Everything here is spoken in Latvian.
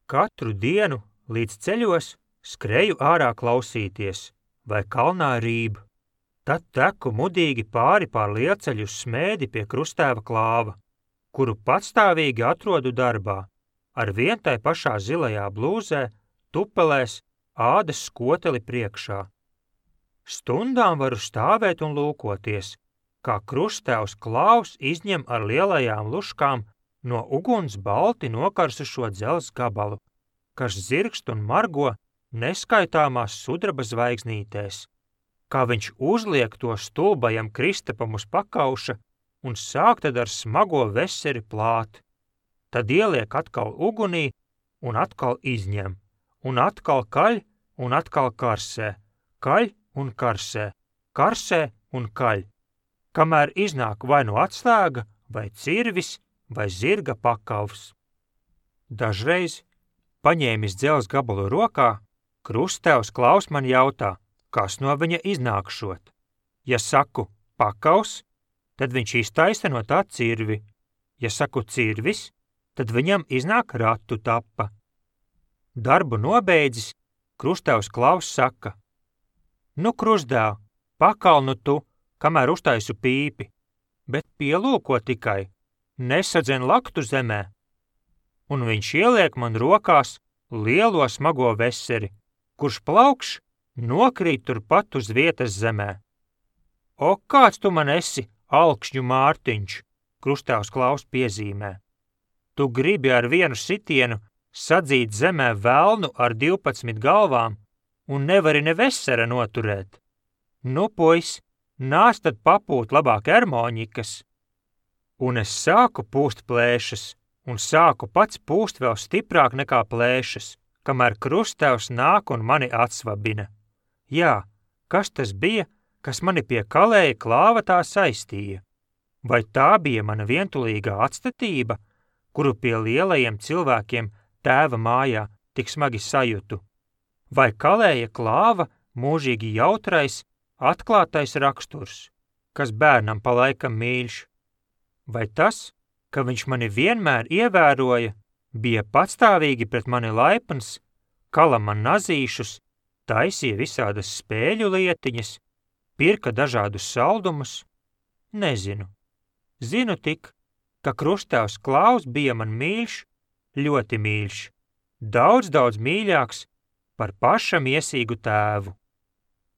Katru dienu līdz ceļos skreju ārā klausīties, vai kalnā rīb. Tad teku mudīgi pāri pār lielceļu uz Smēdi pie Krustēva Klāva, kuru patstāvīgi atrodu darbā, ar vien tai pašā zilajā blūzē, tupelēs, ādas skoteli priekšā. Stundām varu stāvēt un lūkoties, kā Krustēvs Klāvs izņem ar lielajām luškām no uguns balti nokarsušo dzelzs gabalu, kas zirgst un margo neskaitāmās sudraba zvaigznītēs, kā viņš uzliek to stulbajam Kristapam uz pakauša un sāk tad ar smago veseri plāt. Tad ieliek atkal ugunī un atkal izņem, un atkal kaļ un atkal karsē, kaļ un karsē, karsē un kaļ, kamēr iznāk vai nu atslēga, vai cirvis, vai zirga pakavs. Dažreiz, paņēmis dzelzs gabalu rokā, Krustēvs Klāvs man jautā, kas no viņa iznākšot. Ja saku pakavs, tad viņš iztaisa no tā cirvi. Ja saku cirvis, tad viņam iznāk ratu tapa. Darbu nobeidzis, Krustēvs Klāvs saka: Nu, Krustdēl, pakal nu tu, kamēr uztaisu pīpi, bet pielūko tikai, nesadzen laktu zemē. Un viņš ieliek man rokās lielo smago veseri, kurš plaukš nokrīt turpat uz vietas zemē. O, kāds tu man esi, Alkšņu Mārtiņš, Krustēvs Klāvs piezīmē. Tu gribi ar vienu sitienu sadzīt zemē velnu ar 12 galvām un nevari ne vesera noturēt. Nu, puis, nāc tad papūt labāk ermoņikas. Un es sāku pūst plēšas, un sāku pats pūst vēl stiprāk nekā plēšas, kamēr Krustēvs nāk un mani atsvabina. Jā, kas tas bija, kas mani pie Kalēja Klāva tā saistīja? Vai tā bija mana vientulīgā atstatība, kuru pie lielajiem cilvēkiem tēva mājā tik smagi sajutu? Vai Kalēja Klāva mūžīgi jautrais, atklātais raksturs, kas bērnam pa laikam mīļš? Vai tas, ka viņš mani vienmēr ievēroja, bija patstāvīgi pret mani laipns, kala man nazīšus, taisīja visādas spēļu lietiņas, pirka dažādus saldumus? Nezinu. Zinu tik, ka Krustēvs Klāvs bija man mīļš, ļoti mīļš, daudz mīļāks par pašam iesīgu tēvu.